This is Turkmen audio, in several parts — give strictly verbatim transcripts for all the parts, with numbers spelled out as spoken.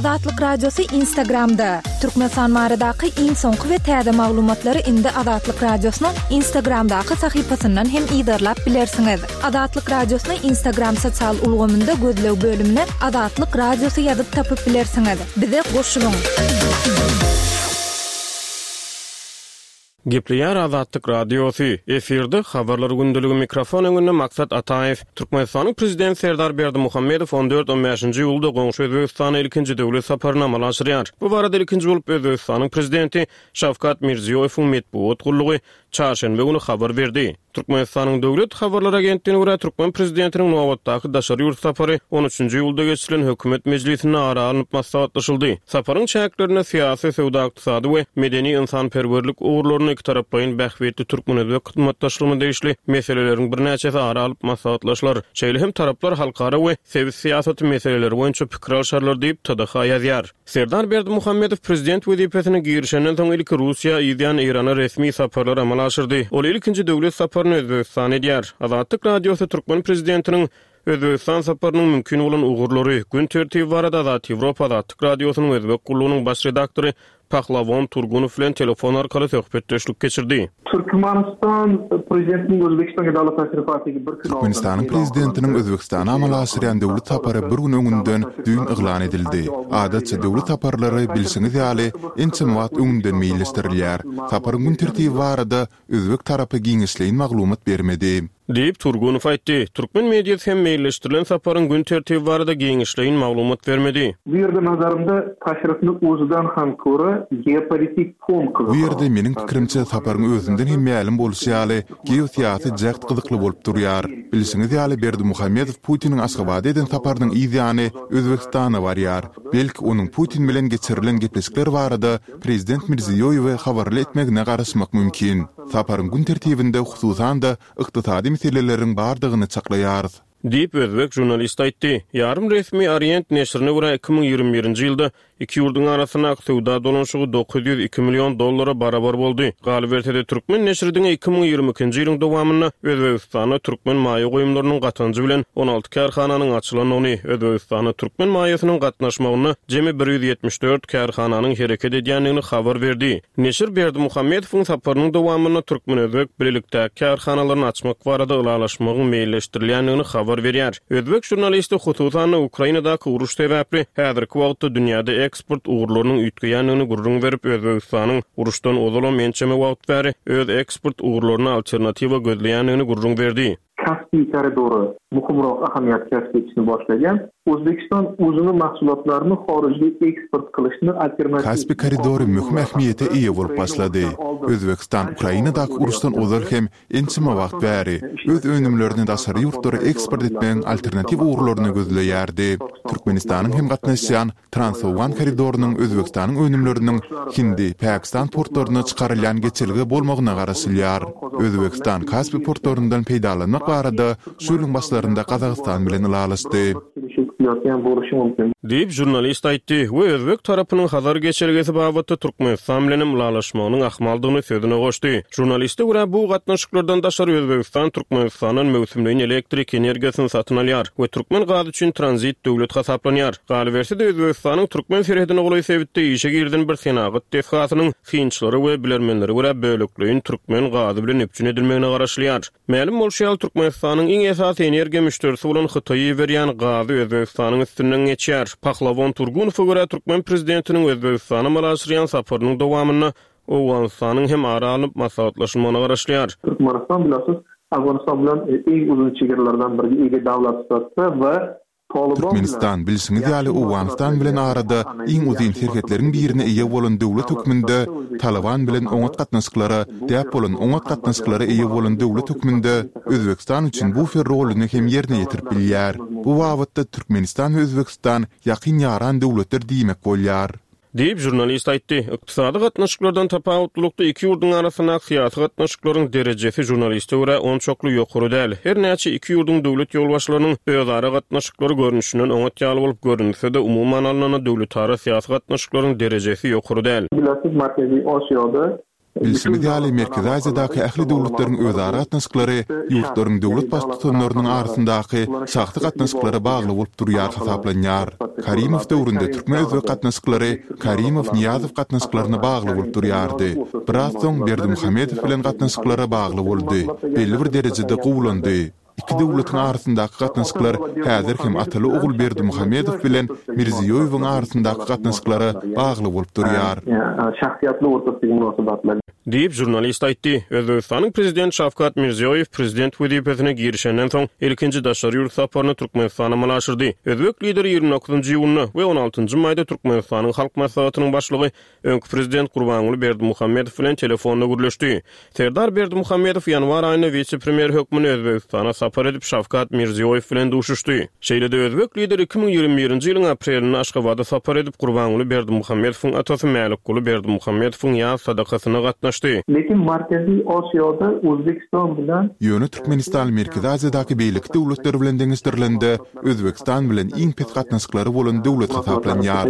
Azatlyk Radiosy Instagramda. Türkmenistan baradaky iň soňky we täze maglumatlary indi Azatlyk Radiosynyň Instagramdaky sahypasyndan hem yzarlap bilersiňiz. Azatlyk Radiosyny Instagram sosial ulgamynda gözleg bölümine Azatlyk Radiosy ýazyp tapyp bilersiňiz. Bize goşulyň. Gepleýär Azatlyk Radiosy. Efirde habarlar gündeligi mikrofon öňünde Maksat Ataýew. Türkmenistanyň Prezidenti Serdar Berdimuhamedow on dört on bäşinji iýulda goňşy Özbegistana ilkinji döwlet saparyny amala aşyrýar. Bu barada ilkinji bolup Özbegistanyň Prezidenti Şawkat Mirziýoýewiň metbugat gullugy çarşenbe güni habar berdi. Türkmenistanyň Döwlet habarlar agentligine görä, türkmen prezidentiniň nobatdaky daşary ýurt sapary on üçünji iýulda geçirilen hökümet mejlisinde ara alnyp maslahatlaşyldy. Saparyň çäklerinde syýasy, söwda-ykdysady we medeni-ynsanperwerlik ugurlarynda ikitaraplaýyn bähbitli türkmen-özbek hyzmatdaşlygyna degişli meseleleriň birnäçesi ara alyp maslahatlaşylar. Şeýle hem taraplar halkara we sebit syýasaty meseleleri boýunça pikir alşarlar diýip, T D H ýazýar. Serdar Berdimuhamedow prezident wezipesine girişenden soň ilki Russiýa, yzýan Eýrana resmi saparlar amala aşyrdy. Ol ilkinji döwlet saparyny Özbegistana edýär. Azatlyk Radiosy türkmen prezidentiniň Özbegistan saparynyň mümkin bolan ugurlary, gün tertibi barada Azat Ýewropa Azatlyk Radiosynyň Özbek gullugynyň baş redaktory Pahlavon Turgunow bilen telefon arkaly söhbetdeşlik geçirdi. Türkmenistan prezidentiniň Özbegistana döwlet tasrifaty bir gün Türkmenistanyň prezidentiniň Özbegistana amala aşyrýan döwlet sapary bir gün öňünden düýn yglan edildi. Adatça döwlet saparlary bilşiňiz ýaly ençeme wagt öňünden meýilleşdirilýär. Saparyň gün tertibi barada özbek tarapy giňişleýin maglumat bermedi. Diýip Turgunow aýtdy. Türkmen mediasy hem meýilleşdirilen saparyň gün tertibi barada giňişleýin maglumat bermedi. Bu ýerde nazarymda tasrifni o'zidan ham ko'ra geopolitik fon Bu ýerde meniň pikirimçe saparyň özünden hem mälim bolşy ýaly geosyýasy jäht gyzykly bolup durýar. Bilşiňiz ýaly Berdimuhamedow Putiniň Aşgabada eden saparynyň yz ýany Özbegistana barýar. Belki onuň Putin bilen geçirilen gepleşikler barada Prezident Mirziýoýewe habarly etmegine garaşmak mümkin. Saparyň gün tertibinde hususan-da ykdysady meseleleriň bardygyny çaklaýarys. Diýip özbek žurnalist aýtdy. Ýarym resmi Orient neşirine görä iki müň ýigrimi birinji ýylda iki ýurduň arasyndaky söwda dolanyşygy dokuz ýüz iki million dollara barabar boldy. Galyberse-de türkmen neşiri diňe iki müň ýigrimi ikinji ýylyň dowamynda Özbegistanda türkmen maýa goýumlarynyň gatanjy bilen on alty kärhananyň açylandygyny, Özbegistanda türkmen maýasynyň gatnaşmagynda jemi bir ýüz ýetmiş dört kärhananyň hereket edýändigini habar berdi. Neşir Berdimuhamedowyň saparynyň dowamynda türkmen-özbek bilelikdäki kärhanalaryny açmak barada ylalaşmagyň meýilleşdirilýändigini habar berýär. Özbek žurnalisti hususan-da Ukrainadaky uruş sebäpli häzirki wagtda dünýäde eksport ugurlarynyň üýtgeýändigini gürrüň berip, Özbegistanyň uruşdan ozalam ençeme wagt bäri öz eksport ugurlaryna alternatiwa gözleýändigini gürrüň berdi. Kaspi koridory muhimroq ahamiyat kasb etishni boshlagan. O'zbekiston o'zini mahsulotlarini xorijga eksport qilishni alternativ Kaspi koridory möhüm ähmiýete eýe bolup başlady. Özbekistan Ukrainadaky uruşdan ozal hem ençeme wagt bäri öz önümlerini daşary ýurtlara eksport etmegiň alternatiw ugurlaryny gözleýärdi. Türkmenistanyň hem gatnaşýan Transowgan koridorynyň Özbegistanyň önümleriniň Hindi, Pakistan portlaryna çykarylýan geçelge bolmagyna garaşylýar. Özbegistan Kaspi portlaryndan peýdalanmak barada şu ýylyň başlarynda Gazagystan bilen ylalaşdy. Diýip žurnalist aýtdy we özbek tarapynyň Hazar geçelgesi babatda Türkmenistan bilen hem ylalaşmagynyň ahmaldygyny sözüne goşdy. Žurnaliste görä bu gatnaşyklardan daşary Özbegistan Türkmenistandan möwsümleýin elektrik energiýasyny satyn alýar we türkmen gazy üçin tranzit döwlet hasaplanýar. Galyberse-de Özbegistanyň türkmen serhedine golaý sebitde işe girden bir senagat desgasynyň synçylary we bilermenlere görä bölekleýin türkmen gazy bilen üpjün edilmegine garaşylýar. Mälim bolşy ýaly Türkmenistanyň iň esasy energiýa müşderisi bolan Hytaýy berýän gazy Özbegistanyň üstünden geçýär. Pahlavon Turgunowa görä türkmen prezidentiniň Özbegistana amala aşyrýan saparynyň dowamynda Owganystanyň hem ara alnyp maslahatlaşylmagyna garaşylýar. Türkmenistan bilasiz Afganistan bilen iň uzyn çegaralardan biri ege döwlet sifatida we Türkmenistan bilşiňiz ýaly Owganystan bilen arada iň uzyn serhetleriň birine eýe bolan döwlet hökmünde Taliban bilen oňat gatnaşyklara däp bolan oňat gatnaşyklara eýe bolan döwlet hökmünde Özbegistan üçin bufer roluny hem ýerine ýetirip bilýär. Bu babatda Türkmenistan we Özbegistan ýakyn ýaran döwletler diýmek bolýar. Diýip žurnalist aýtdy. Ykdysady gatnaşyklardan tapawutlylykda iki ýurduň arasyndaky syýasy gatnaşyklaryň derejesi žurnaliste görä onçakly ýokary däl. Her näçe iki ýurduň döwlet ýolbaşçylarynyň özara gatnaşyklary görnüşinden oňat ýaly bolup görünse-de umuman alnanda döwletara syýasy gatnaşyklaryň derejesi ýokary däl. Bilasiz Merkezi Osiýada Bilşimiz ýaly, Merkezi Aziýadaky ähli döwletleriň özara gatnaşyklary ýurtlaryň döwlet Baştutanlarynyň arasyndaky şahsy gatnaşyklara bagly bolup durýar hasaplanýar. Karimow döwründe türkmen-özbek gatnaşyklary Karimow-Nyýazow gatnaşyklaryna bagly bolup durýardy. Biraz soň Berdimuhamedow bilen gatnaşyklara bagly boldy. Belli bir derejede gowulandy. Iki döwletiň arasyndaky gatnaşyklar häzir hem ataly-ogul Berdimuhamedow bilen Mirziýoýewiň arasyndaky gatnaşyklara bagly bolup durýar. Diýip, žurnalist aýtdy. Özbegistanyň Prezidenti Şawkat Mirziýoýew prezident wezipesine girişenden soň ilkinji daşary ýurt saparyny Türkmenistana amala aşyrdy. Özbek Lideri ýigrimi dokuzynjy iýunda we on altynjy maýda Türkmenistanyň Halk Maslahatynyň Başlygy, öňki prezident Gurbanguly Berdimuhamedow bilen telefonda gürleşdi. Serdar Berdimuhamedow ýanwar aýynda wise-premýer hökmünde Özbegistana sapar edip, Şawkat Mirziýoýew bilen duşuşdy. Şeýle-de özbek Lideri iki müň ýigrimi birinji ýylyň aprelinde Aşgabada sapar edip, Gurbanguly Berdimuhamedowyň atasy Mälikguly Berdimuhamedowyň ýas sadakasyna gatnaşdy. Lekin Markaziý Osiyoda O'zbekiston bilan Ýöne Türkmenistan Merkezi Aziýadaky beýleki döwletler bilen deňeşdirilende, Özbegistan bilen iň pes gatnaşyklary bolan döwlet hasaplanýar.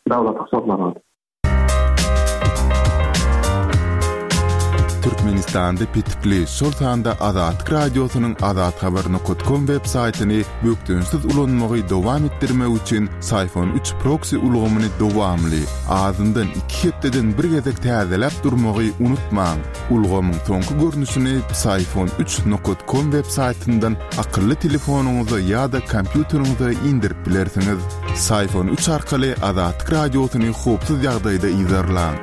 Davlat hisoblanadi. Türkmenistanda petikli, şol sanda Azatlyk Radiosynyň azathabar nokat kom web saýtyny bökdençsiz ulanmagy dowam etdirmek üçin Syfon üç proksi ulgamyny dowamly, azyndan iki hepdeden bir gezek täzeläp durmagy unutmaň. Ulgamyň soňky görnüşini Syfon üç nokat kom web saýtyndan akylly telefonyňyza ýa-da kompýuteriňize indirip bilersiňiz. Syfon üç arkaly Azatlyk Radiosyny howpsuz ýagdaýda yzarlaň.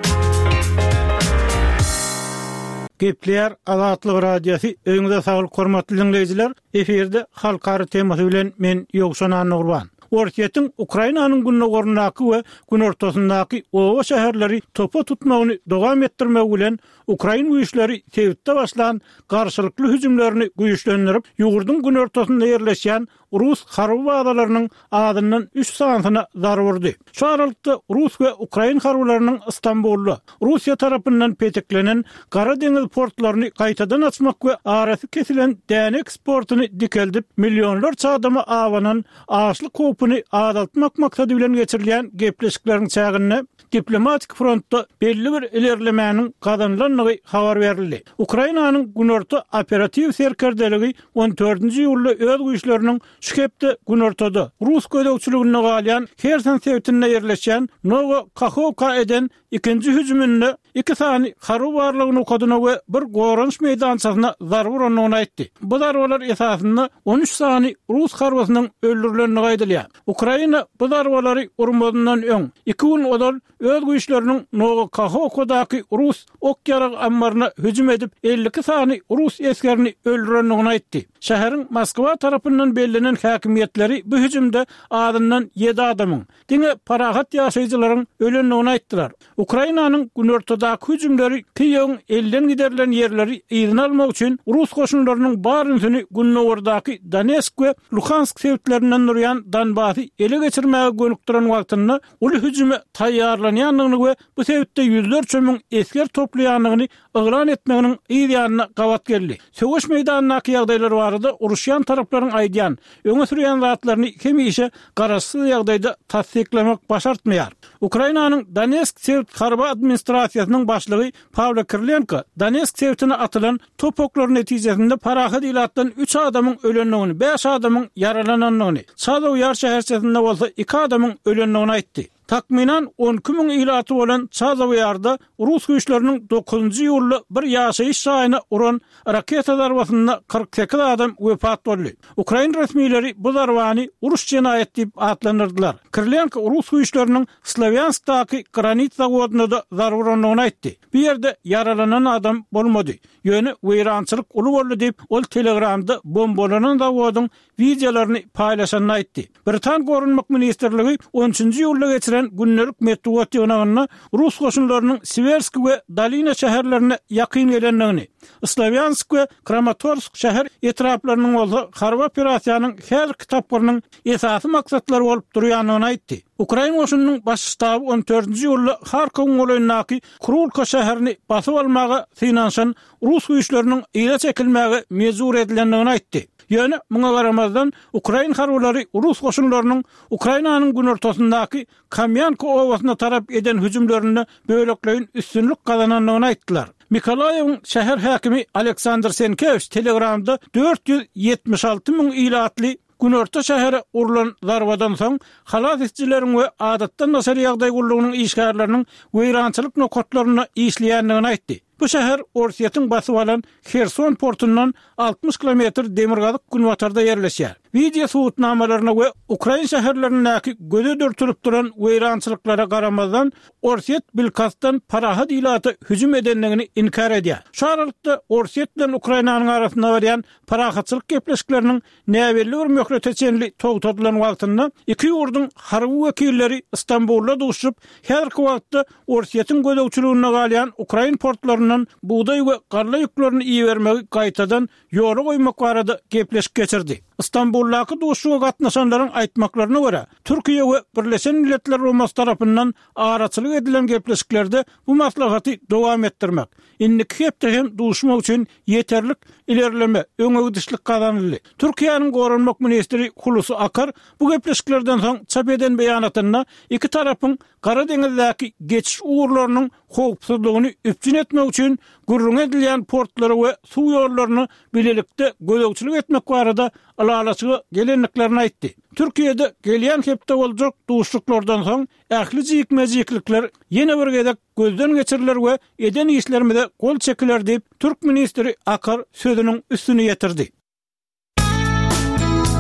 Gepleýär Azatlyk Radiosy, öýüňize saglyk hormatly dinleýjiler. Efirde halkara temasy bilen men Ýowşan Annagurban. Orsýetiň Ukrainanyň gündogaryndaky we günortasyndaky oba şäherleri topa tutmagyny dowam etdirmegi bilen ukrain güýçleri sebitde başlan garşylykly hüjümlerini güýçlendirip, ýurduň günortasynda ýerleşýän rus harby bazalarynyň azyndan üç sanysyna zarba urdy. Şu aralykda rus we ukrain harbylarynyň Istanbulda Russiýa tarapyndan petiklenen Gara deňiz portlaryny gaýtadan açmak we arasy kesilen däne eksportyny dikeldip, millionlarça adama abanan açlyk howpuny azaltmak maksady bilen geçirilýän gepleşikleriň çäginde diplomatik frontda belli bir ilerlemäniň gazanylandygy habar berildi. Ukrainanyň günorta operatiw serkerdeligi on dördünji iýulda öz güýçleriniň şu hepde günortada rus gözegçiliginde galýan Herson sebitinde ýerleşýän Nowo Kahowka eden ikinji hüjüminde iki sany harby barlygy nokadyna we bir goranyş meýdançasyna zarba urandygyny aýtdy. Bu zarbalar esasynda on üç sany rus harbysynyň öldürilendigi aýdylýar. Ukraina bu zarbalary urmazyndan öň iki gün ozal öz güýçleriniň Nowo Kahowkadaky rus ok-ýarag ammaryna hüjüm edip elli iki sany rus esgerini öldürendigini aýtdy. Şäheriň Moskwa tarapyndan bellenen häkimiýetleri bu hüjümde azyndan ýedi adamyň, diňe parahat ýaşaýjylaryň ölendigini aýtdylar. Ukrainanyň günortadaky hüjümleri Kiýewiň elden giderilen ýerleri yzyna almak üçin rus goşunlarynyň bar ünsüni gündogardaky Donetsk we Luhansk sebitlerinden durýan Donbasy ele geçirmäge gönükdiren wagtynda uly hüjüme taýýarlanýandygyny we bu sebitde ýüzlerçe müň esger toplaýandygyny yglan etmeginiň yz ýanyna gabat geldi. Söweş meýdanyndaky ýagdaýlar barada uruşýan taraplaryň aýdýan, öňe sürýän zatlaryny hemişe garaşsyz ýagdaýda tassyklamak başartmaýar. Ukrainanyň Donetsk sebit harby administrasiýasynyň başlygy Pawlo Kirilenko Donetsk sebitine atylan top oklary netijesinde parahat ilatdan üç adamyň ölendigini, bäş adamyň ýaralanandygyny, Çazow-Ýar şäherçesinde bolsa iki adamyň ölendigini aýtdy. Takmynan on iki müň ilaty bolan Çazow-Ýarda rus güýçleriniň dokuzynjy iýulda bir ýaşaýyş jaýyna uran raketa zarbasynda kyrk sekiz adam wepat boldy. Ukrain resmileri bu zarbany uruş jenaýat diýip atlandyrdylar. Kirilenko rus güýçleriniň Slawýanskdaky granit zawodynda-da zarba urandygyny aýtdy. Bu ýerde ýaralanan adam bolmady. Ýöne weýrançylyk uly boldy diýip, ol Telegramda bombalanan zawodyň wideolaryny paýlaşanyny aýtdy. Britan Goranmak ministrligi on üçünji iýulda geçiren gündelik metbugat ýygnagynda rus goşunlarynyň Siwersk we Dolina şäherlerine ýakyn gelendigini, Slawýansk we Kramatorsk şäher etraplarynyň bolsa harby operasiýanyň häzirki tapgyrynyň esasy maksatlary bolup durýandygyny aýtdy. Ukrain goşunynyň baş ştaby on dördünji iýulda Harkowyň golaýyndaky Krulka şäherini basyp almaga synanyşan rus güýçleriniň yza çekilmäge mejbur edilendigini aýtdy. Ýöne muňa garamazdan, ukrain harbylary rus goşunlarynyň Ukrainanyň günortasyndaky Kamýanka obasyna tarap eden hüjümlerinde bölekleýin üstünlik gazanandygyny aýtdylar. Mykolaýewiň şäher häkimi Aleksandr Senkewiç Telegramda dört ýüz ýetmiş alty müň ilatly günorta şähere urlan zarbadan soň, halas edijileriň we adatdan daşary ýagdaý gullugynyň işgärleriniň weýrançylyk nokatlarynda işleýändigini aýtdy. Bu şäher Orsýetiň basyp alan Herson portundan altmyş kilometr demirgazyk-günbatarda ýerleşýär. Wideo subutnamalaryna we ukrain şäherlerindäki göze dürtülip duran weýrançylyklara garamazdan, Orsýet bilkastdan parahat ilata hüjüm edendigini inkär edýär. Şu aralykda, Orsýet bilen Ukrainanyň arasynda barýan parahatçylyk gepleşikleriniň näbelli bir möhlete çenli togtadylan wagtynda iki ýurduň harby wekilleri Stambulda duşuşyp, häzirki wagtda Orsýetiň gözegçiliginde galýan ukrain portlaryndan bugdaý we galla ýüklerini ibermegi gaýtadan ýola goýmak barada gepleşik geçirdi. Stambuldaky duşuşyga gatnaşanlaryň aýtmaklaryna görä, Türkiýe we Birleşen Milletler Guramasy tarapyndan araçylyk edilen gepleşiklerde bu maslahaty dowam etdirmek, indiki hepde hem duşmak üçin ýeterlik ilerleme, öňegidişlik gazanyldy. Türkiýäniň goranmak ministri Hulusi Akar bu gepleşiklerden soň çap eden beýanatynda iki tarapyň Gara deňizdäki geçiş ugurlarynyň howpsuzlygyny üpjün etmek üçin gürrüňi edilýän portlara we suw ýollaryna bilelikde gözegçilik etmek barada ylalaşyga gelendiklerini aýtdy. Türkiýede gelýän hepde boljak duşuşyklardan soň ähli jikme-jiklikler ýene bir gezek gözden geçiriler we eden işlerimize gol çekiler diýip, türk ministri Akar sözüniň üstüni ýetirdi.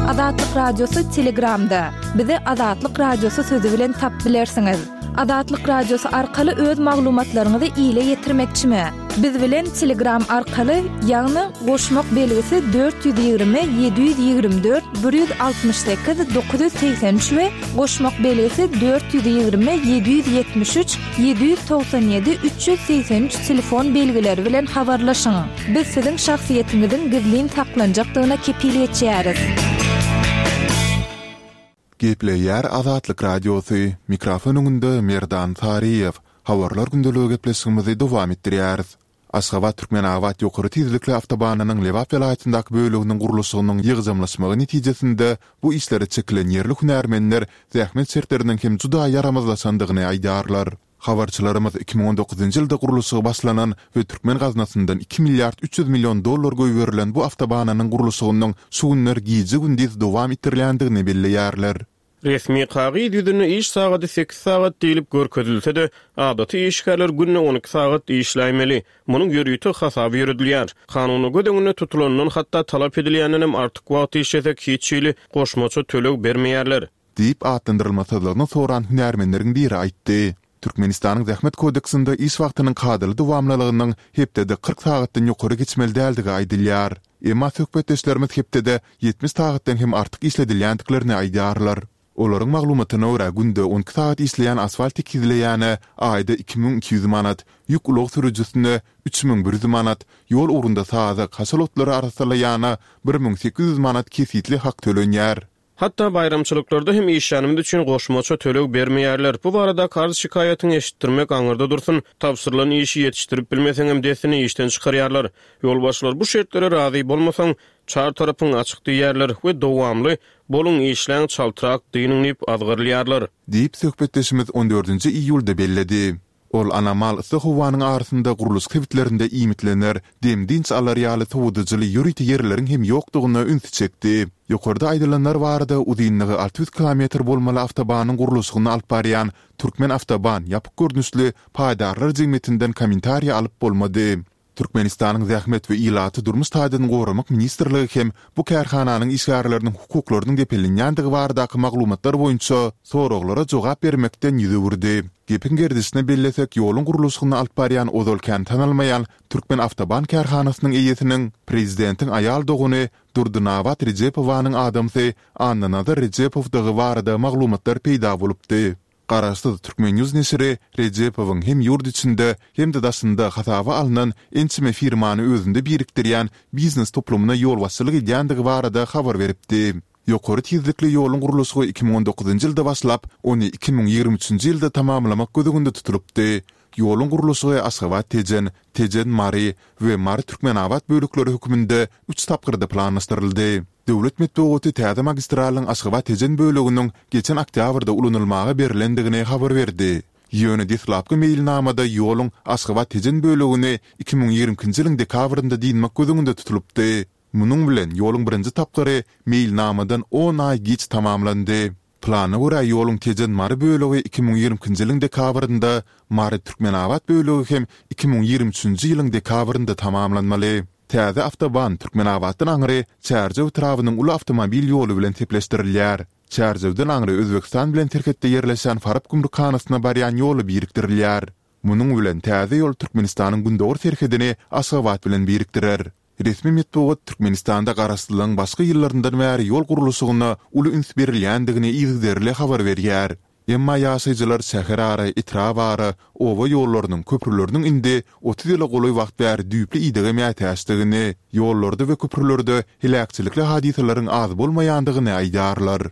Azatlyk Radiosy Telegramda. Bizi Azatlyk Radiosy sözi bilen tapyp bilersiňiz. Azatlyk Radiosy arkaly öz maglumatlaryňyzy ile ýetirmekçimi? Biz bilen Telegram arkaly, ýagny goşmak belgisi dört ýüz ýigrimi ýedi ýüz ýigrimi dört bir ýüz altmyş sekiz dokuz ýüz segsen üç we goşmak belgisi dört ýüz ýigrimi ýedi ýüz ýetmiş üç ýedi ýüz togsan ýedi üç ýüz segsen üç telefon belgileri bilen habarlaşyň. Biz siziň şahsyýetiňiziň gizlin saklanjakdygyna kepil geçýäris. Gepleýär Azatlyk Radiosy, mikrofon öňünde Merdan Saryýew. Habarlar gündeligi gepleşigimizi dowam etdirýäris. Aşgabat-Türkmenabat ýokary tizlikli awtobanynyň Lebap welaýatyndaky böleginiň gurluşygynyň ýygjamlaşmagy netijesinde bu işlere çekilen ýerli hünärmenler zähmet şertleriniň hem juda ýaramazlaşandygyny aýdýarlar. Habarçylarymyz iki müň on dokuzynjy ýylda gurluşygy başlanan we türkmen gaznasyndan iki milliard üç ýüz million dollar goýberilen bu awtobananyň gurluşygynyň şu günler gije-gündiz dowam etdirilýändigini belleýärler. Resmi kagyz ýüzünde iş sagady sekiz sagat diýlip görkezilse-de, adaty işgärler günde on iki sagat işläýmeli. Munuň ýörite hasaby ýöredilýär. Kanunda göz öňünde tutulandan, hatda talap edilýändenem artyk wagt işlesek, hiç hili goşmaça töleg bermeýärler. Diýip atlandyrylmasyzlygyny soran hünärmenleriň biri aýtdy. Türkmenistanyň Zähmet kodeksinde iş wagtynyň kadaly dowamlylygynyň hepdede kyrk sagatdan ýokary geçmeli däldigi aýdylýar. Emma söhbetdeşlerimiz hepdede ýetmiş sagatdan hem artyk işledilýändiklerini aýdýarlar. Olaryň maglumatyna görä, günde on iki sagat işleýän asfalt tekizleýäne aýda iki müň iki ýüz manat, ýük ulag sürüjisine üç müň bir ýüz manat, ýol ugrunda sazak, haşal otlary arassalaýana bir müň sekiz ýüz manat kesgitli hak tölenýär. Hatda baýramçylyklarda hem işlänimiz üçin goşmaça töleg bermeýärler. Bu baradaky arz-şikaýatyňy eşitdirmek aňyrda dursun, tabşyrylan işi ýetişdirip bilmeseňem dessine işden çykarýarlar. Ýolbaşçylar bu şertlere razy bolmasaň, çar tarapyň açyk diýýärler we dowamly, Boluň, işläň, çaltrak dynyň diýip azgyrylýarlar. Diýip, söhbetdeşimiz on dördünji iýulda belledi. Ol anomal yssy howanyň arasynda gurluşyk sebitlerinde iýmitlener, dem-dynç alar ýaly sowadyjyly ýörite ýerleriň hem ýokdugyna ünsi çekdi. Ýokarda aýdylanlar barada uzynlygy alty ýüz kilometr bolmaly awtobanyň gurluşygyny alyp barýan Türkmenawtoban ýapyk görnüşli paýdarlar jemgyýetinden kommentariýa alyp bolmady. Türkmenistanyň Zähmet we ilaty durmuş taýdan goramak ministrligi hem bu kärhananyň işgärleriniň hukuklarynyň depelenýändigi baradaky maglumatlar boýunça soraglara jogap bermekden ýüz öwürdi. Gepiň gerdişine bellesek, ýoluň gurluşygyny alyp barýan ozal kän tanalmaýan Türkmenawtoban kärhanasynyň eýesiniň prezidentiň aýal dogany Durdynabat Rejepowanyň adamsy Annanazar Rejepowdygy barada maglumatlar peýda bolupdy. Garaşsyz Turkmen. News neşiri Rejepowyň hem ýurt içinde, hem-de daşynda hasaba alnan ençeme firmany özünde birikdirýän biznes toplumyna ýolbaşçylyk edýändigi barada habar beripdi. Ýokary tizlikli ýoluň gurluşygy iki müň on dokuzynjy ýylda başlap, ony iki müň ýigrimi üçünji ýylda tamamlamak göz öňünde tutulypdy. Ýoluň gurluşygy Aşgabat-Tejen, Tejen-Mary we Mary-Türkmenabat bölekleri hökmünde üç tapgyrda planlaşdyryldy. Döwlet metbugaty täze magistralyň Aşgabat-Tejen böleginiň geçen oktýabrda ulanylmaga berlendigini habar berdi. Ýöne deslapky meýilnamada ýoluň Aşgabat-Tejen bölegini iki müň ýigrimi ikinji ýylyň dekabrynda dynmak göz öňünde tutulypdy. Munuň bilen, ýoluň birinji tapgyry meýilnamadan on aý giç tamamlandy. Plana görä, ýoluň Tejen-Mary bölegi iki müň ýigrimi ikinji ýylyň dekabrynda, Mary-Türkmenabat bölegi hem iki müň ýigrimi üçünji ýylyň dekabrynda tamamlanmaly. Täze awtoban Türkmenabatdan aňry Çärjew etrabynyň uly awtomobil ýoly bilen sepleşdirilýär. Çärjewden aňry Özbegistan bilen serhetde ýerleşýän Farap gümrükhanasyna barýan ýola birikdirilýär. Munuň bilen, täze ýol Türkmenistanyň gündogar serhedini Aşgabat bilen birikdirer. Resmi metbugat Türkmenistanda garaşsyzlygyň başky ýyllaryndan bäri ýol gurluşygyna uly üns berilýändigini yzygiderli habar berýär. Emma ýaşaýjylar şäherara, etrabara, oba ýollarynyň, köprüleriniň indi otuz ýyla golaý wagt bäri düýpli idege mätäçdigini, ýollarda we köprülerde heläkçilikli hadysalaryň az bolmaýandygyny aýdýarlar.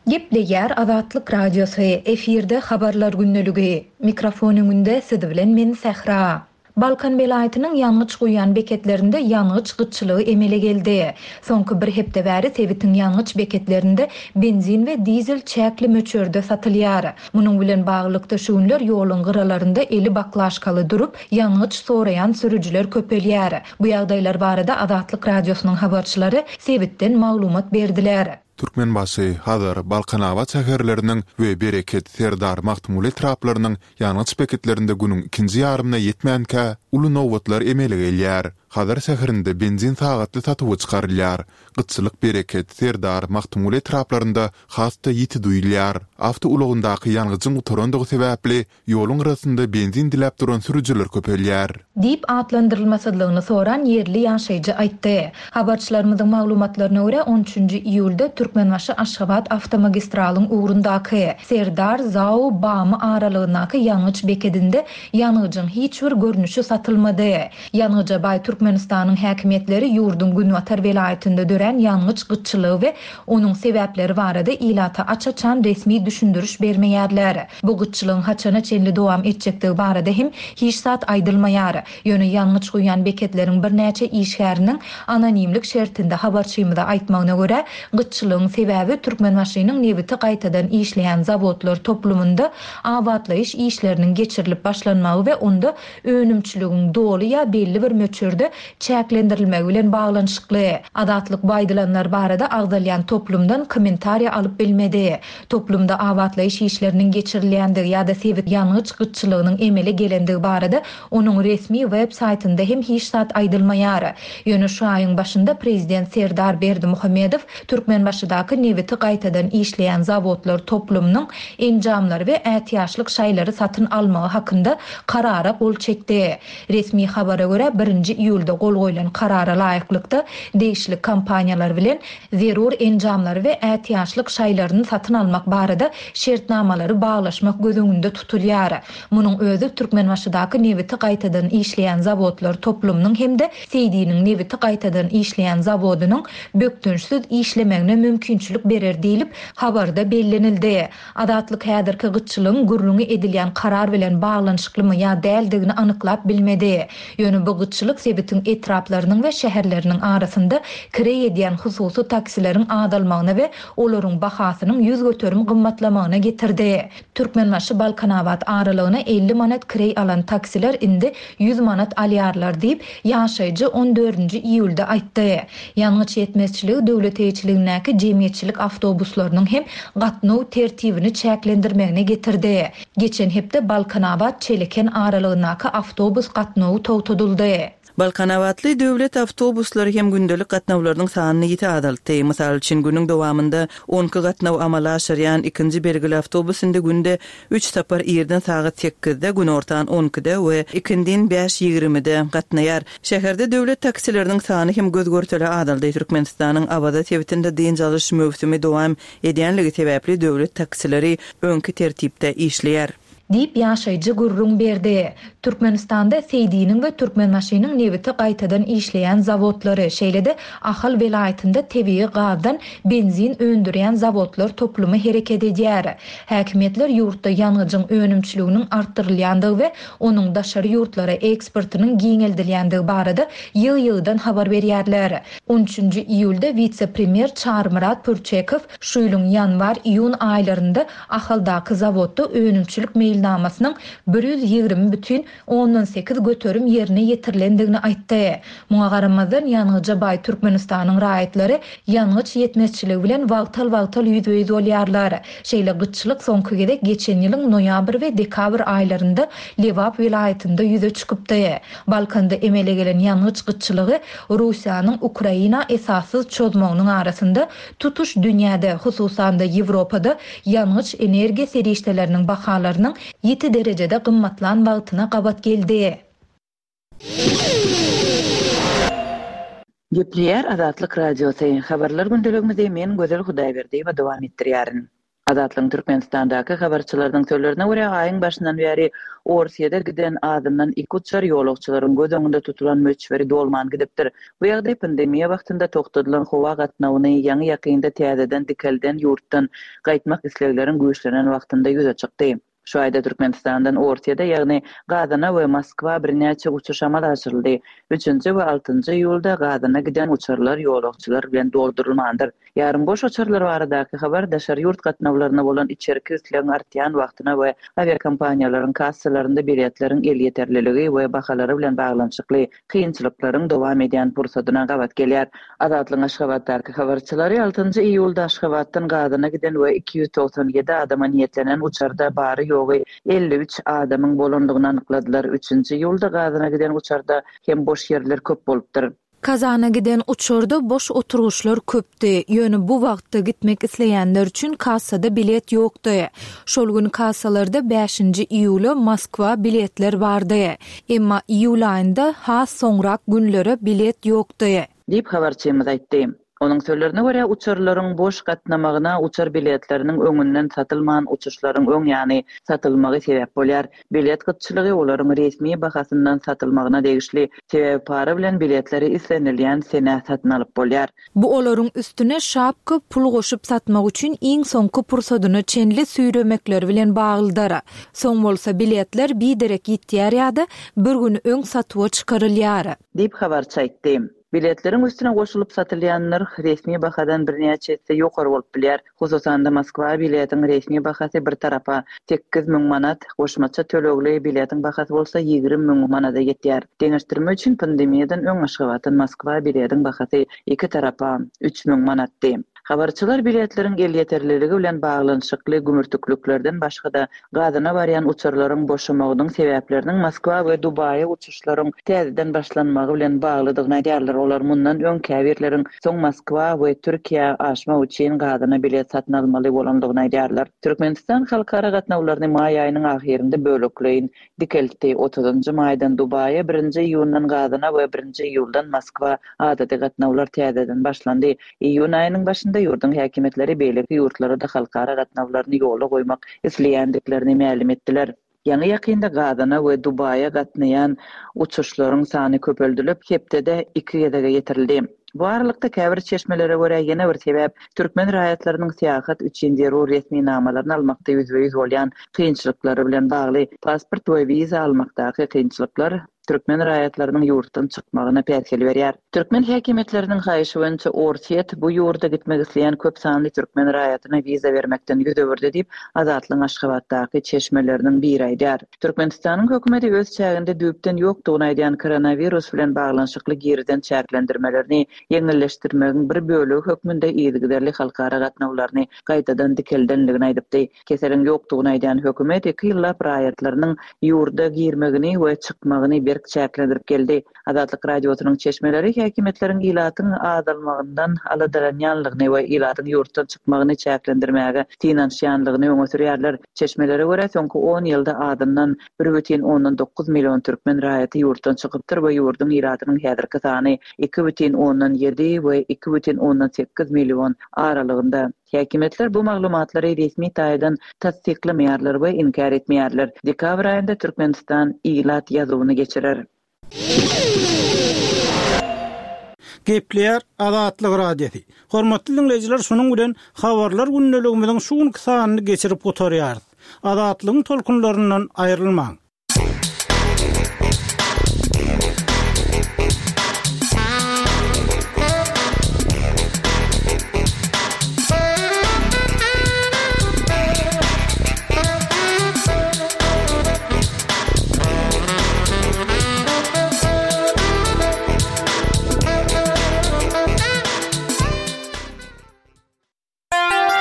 Gepleýär Azatlyk Radiosy, efirde Habarlar gündeligi. Mikrofon öňünde siz bilen men Sähra. Balkan welaýatynyň ýangyç guýýan beketlerinde ýangyç gytçylygy emele geldi. Soňky bir hepde bäri sebitiň ýangyç beketlerinde benzin we dizel çäkli möçberde satylýar. Munuň bilen baglylykda şu günler ýoluň gyralarynda eli baklaşkaly durup, ýangyç soraýan sürüjiler köpelýär. Bu ýagdaýlar barada Azatlyk Radiosynyň habarçylary sebitden maglumat berdiler. Türkmenbaşy, Hazar, Balkanabat şäherleriniň we Bereket, Serdar, Magtymguly etraplarynyň ýangyç beketlerinde günüň ikinji ýarymyna ýetmänkä, uly nobatlar emele gelýär. Hazar şäherinde benzin sagatly satuwa çykarylýar. Gytçylyk Bereket, Serdar, Magtymguly etraplarynda has-da ýiti duýulýar. Awtoulagyndaky ýangyjyň gutarandygy sebäpli, Ýoluň gyrasynda benzin diläp duran sürüjiler köpelýär. Diýip atlandyrylmasyzlygyny soran ýerli ýaşaýjy aýtdy. Habarçylarymyzyň maglumatlaryna görä, on üçünji iýulda Türkmenbaşy-Aşgabat awtomagistralyň ugrundaky, Serdar, Zao, Bamy aralygyndaky ýangyç bekedinde ýangyjyň hiç bir görnüşi satylmady. Ýangyja baý Türkmenistanyň häkimiýetleri ýurduň günbatar welaýatynda dörän ýangyç gytçylygy we onuň sebäpleri barada ilata aç-açan resmi düşündiriş bermeýärler. Bu gytçylygyň haçana çenli dowam etjekdigi barada hem hiç zat aýdylmaýar. Ýöne ýangyç guýýan beketleriň birnäçe işgäriniň anonimlik şertinde habarçymyza aýtmagyna görä, gytçylygyň sebäbi Türkmenbaşynyň nebiti gaýtadan işleýän zawodlar toplumynda abatlaýyş işleriniň geçirilip başlanmagy we onda önümçiligiň doly ýa belli bir möçberde çäklendirilmegi bilen baglanyşykly. Azatlyk bu aýdylanlar barada agzalýan toplumdan kommentariýa alyp bilmedi. Toplumda abatlaýyş işleriniň geçirilýändigi ýa-da sebit ýangyç gytçylygynyň emele gelendigi barada onuň resmi web saýtynda hem hiç zat aýdylmaýar. Ýöne şu aýyň başynda prezident Serdar Berdimuhamedow Türkmenbaşydaky nebiti gaýtadan işleýän zawodlar toplumynyň enjamlary we ätiýaçlyk şaýlary satyn almagy hakynda karara gol çekdi. Resmi habara görä, birinji iýulda gol goýlan karara laýyklykda, degişli kompaniýalar bilen zerur enjamlary we ätiýaçlyk şaýlaryny satyn almak barada şertnamalary baglaşmak göz öňünde tutulýar. Munuň özi Türkmenbaşydaky nebiti gaýtadan işleýän zawodlar toplumynyň hem-de Seýdiniň nebiti gaýtadan işleýän zawodynyň bökdençsiz işlemegine mümkinçilik berer diýlip, habarda bellenildi. Azatlyk häzirki gytçylygyň gürrüňi edilýän karar bilen baglanyşyklymy ýa däldigini anyklap bilmedi. Ýöne bu gytçylyk sebitiň etraplarynyň we şäherleriniň arasynda kireý edýän hususy taksileriň azalmagyna we olaryň bahasynyň ýüz göterim gymmatlamagyna getirdi. Türkmenbaşy-Balkanabat aralygyna elli manat kireý alan taksiler indi ýüz manat alýarlar diýip, ýaşaýjy on dördünji iýulda aýtdy. Ýangyç ýetmezçiligi döwlet eýeçiligindäki jemgyýetçilik awtobuslarynyň hem gatnaw tertibini çäklendirmegine getirdi. Geçen hepde Balkanabat-Çeleken aralygyndaky awtobus gatnawy togtadyldy. Balkanabatly döwlet awtobuslary hem gündelik gatnawlarynyň sanyny ýiti azaltdy. Mysal üçin, günüň dowamynda on iki gatnaw amala aşyrýan ikinji belgili awtobus indi günde üç sapar irden sagat sekizde, günortan on ikide we ikindin bäş ýigrimide gatnaýar. Şäherde döwlet taksileriniň sany hem göz-görtele azaldy. Türkmenistanyň Awaza sebitinde dynç alyş möwsümi dowam edýänligi sebäpli döwlet taksileri öňki tertipde işleýär. Diýip, ýaşaýjy gürrüň berdi. Türkmenistanda Seýdiniň we Türkmenbaşynyň nebiti gaýtadan işleýän zawodlary, şeýle-de Ahal welaýatynda tebigy gazdan benzin öndürýän zawodlar toplumy hereket edýär. Häkimiýetler ýurtda ýangyjyň önümçiliginiň artdyrylýandygy we onuň daşary ýurtlara eksportynyň giňeldilýändigi barada ýygy-ýygydan habar berýärler. On üçünji iýulda wise-premýer Çarymyrat Pürçekow şu ýylyň ýanwar-iýun aýlarynda Ahaldaky zawodda önümçilik meýilnamasynyň bir ýüz ýigrimi bütin ondan sekiz göterim ýerine ýetirilendigini aýtdy. Muňa garamazdan, ýangyja baý Türkmenistanyň raýatlary ýangyç ýetmezçiligi bilen wagtal-wagtal ýüzbe-ýüz bolýarlar. Şeýle gytçylyk soňky gezek geçen ýylyň noýabr we dekabr aýlarynda Lebap welaýatynda ýüze çykypdy. Balkanda emele gelen ýangyç gytçylygy Russiýanyň Ukraina esassyz çozmagynyň arasynda tutuş dünýäde, hususan-da Ýewropada ýangyç-energiýa serişdeleriniň bahalarynyň ýiti derejede gymmatlan wagtyna gabat geldi. Gepleýär Azatlyk Radiosy, Habarlar gündeligimizi men Gözel Hudaýberdiýewa dowam etdirýärin. Azatlygyň Türkmenistandaky habarçylarynyň sözlerine görä, aýyň başyndan bäri Orsýede giden azyndan iki uçar ýolagçylaryň göz öňünde tutulan möçberi dolman gidipdir. Bu ýagdaý pandemiýa wagtynda togtadylan howa gatnawyny ýaňy-ýakynda täzeden dikelden ýurtdan gaýtmak islegleriň güýçlenen wagtynda ýüze çykdy. Şu aýda Türkmenistandan Orsýede, ýagny Gazana we Moskwa birnäçe uçuş amala aşyryldy. Üçünji we altynjy iýulda Gazana giden uçarlar ýolagçylar bilen doldurylmandyr. Ýarym boş uçarlar baradaky habar daşary ýurt gatnawlaryna bolan içerki islegiň artýan wagtyna we awiakompaniýalaryň kassalarynda biletleriň elýeterliligi we bahalary bilen baglanyşykly kynçylyklaryň dowam edýän pursadyna gabat gelýär. Azatlygyň Aşgabatdaky habarçylary altynjy iýulda Aşgabatdan Gazana giden we iki ýüz togsan ýedi adama niýetlenen uçarda bary-ýogy elli üç adamyň bolandygyny anykladylar. Üçünji iýulda Gazana giden uçarda hem boş ýerler köp bolupdyr. Kazana giden uçarda boş oturgyçlar köpdi. Ýöne bu wagtda gitmek isleýänler üçin kassada bilet ýokdy. Şol gün kassalarda bäşinji iýula Moskwa biletler bardy. Emma iýul aýynda has soňrak günlere bilet ýokdy. Diýip habarçymyz aýtdy. Onuň sözlerine görä, uçarlaryň boş gatnamagyna uçar biletleriniň öňünden satylman uçuşlaryň öň ýany satylmagy sebäp bolýar. Bilet gytçylygy olaryň resmi bahasyndan satylmagyna degişli, sebäbi para bilen biletleri islenilýän senä satyn alyp bolýar. Bu olaryň üstüne şapka pul goşup satmak üçin iň soňky pursadyna çenli süýremekleri bilen baglydyr. Soň bolsa biletler biderek ýitýär ýa-da bir gün öň satuwa çykarylýar. Diýip habarçy aýtdy. Biletleriň üstüne goşulyp satylýan nyrh resmi bahadan birnäçe esse ýokary bolup bilýär. Hususan-da Moskwa biletiň resmi bahasy bir tarapa sekiz müň manat, goşmaça tölegli biletiň bahasy bolsa ýigrimi müň manada ýetýär. Deňeşdirme üçin pandemiýadan öň Aşgabatdan Moskwa biletiň bahasy iki tarapa üç müň manatdy. Habarçylar biletleriň elýeterliligi bilen baglanyşykly gümürtikliklerden başga-da Gazana barýan uçarlaryň boşamagynyň sebäpleriniň Moskwa we Dubaýa uçuşlaryň täzeden başlanmagy bilen baglydygyny aýdýarlar. Olar mundan öň käbirleriň soň Moskwa we Türkiýä aşmak üçin Gazana bilet satyn almaly bolandygyny aýdýarlar. Türkmenistan halkara gatnawlaryny maý aýynyň ahyrynda bölekleýin dikeltdi. Otuzynjy maýdan Dubaýa, birinji iýundan Gazana we birinji iýuldan Moskwa adaty gatnawlar täzeden başlandy. Iýun aýynyň başynda ýurduň häkimiýetleri beýleki ýurtlara-da halkara gatnawlaryny ýola goýmak isleýändiklerini mälim etdiler. Ýaňy-ýakynda Gazana we Dubaýa gatnaýan uçuşlaryň sany köpeldilip, hepdede iki gezege ýetirildi. Bu aralykda käbir çeşmelere görä ýene bir sebäp türkmen raýatlarynyň syýahat üçin zerur resminamalaryny almakda ýüzbe-ýüz bolýan kynçylyklary bilen bagly. Pasport we wiza almakdaky kynçylyklar türkmen raýatlarynyň ýurtdan çykmagyna päsgel berýär. Türkmen häkimiýetleriniň haýyşy boýunça Orsýet bu ýurda gitmek isleýän köp sanly türkmen raýatyna wiza bermekden ýüz öwürdi diýip, Azatlygyň Aşgabatdaky çeşmeleriniň biri aýdýar. Türkmenistanyň hökümeti öz çäginde düýpden ýokdugyny aýdýan koronawirus bilen baglanyşykly girizen çäklendirmelerini ýeňilleşdirmegiň bir bölegi hökmünde yzygiderli halkara gatnawlaryny gaýtadan dikeldenligini aýdypdy. Keseliň ýokdugyny aýdýan hökümet iki ýyllap raýatlarynyň ýurda girmegini we çykmagyny berk çäklendirip geldi. Azatlyk Radiosynyň çeşmeleri häkimiýetleriň ilatyň azalmagyndan aladalanýanlygyny we ilatyň ýurtdan çykmagyny çäklendirmäge synanyşýanlygyny öňe sürýärler. Çeşmelere görä, soňky on ýylda azyndan bir bütin ondan dokuz million türkmen raýaty ýurtdan çykypdyr we ýurduň ilatynyň häzirki sany iki bütin ondan ýedi we iki bütin ondan sekiz million aralygynda. Häkimiýetler bu maglumatlary resmi taýdan tassyklamaýarlar we inkär etmeýärler. Dekabr aýynda Türkmenistan ilat ýazuwyny geçirer. Gepleýär Azatlyk Radiosy. Hormatly diňleýjiler, şunuň bilen habarlar gündeligimiziň şu günki sanyny geçirip gutarýarys. Azatlygyň tolkunlaryndan aýrylmaň.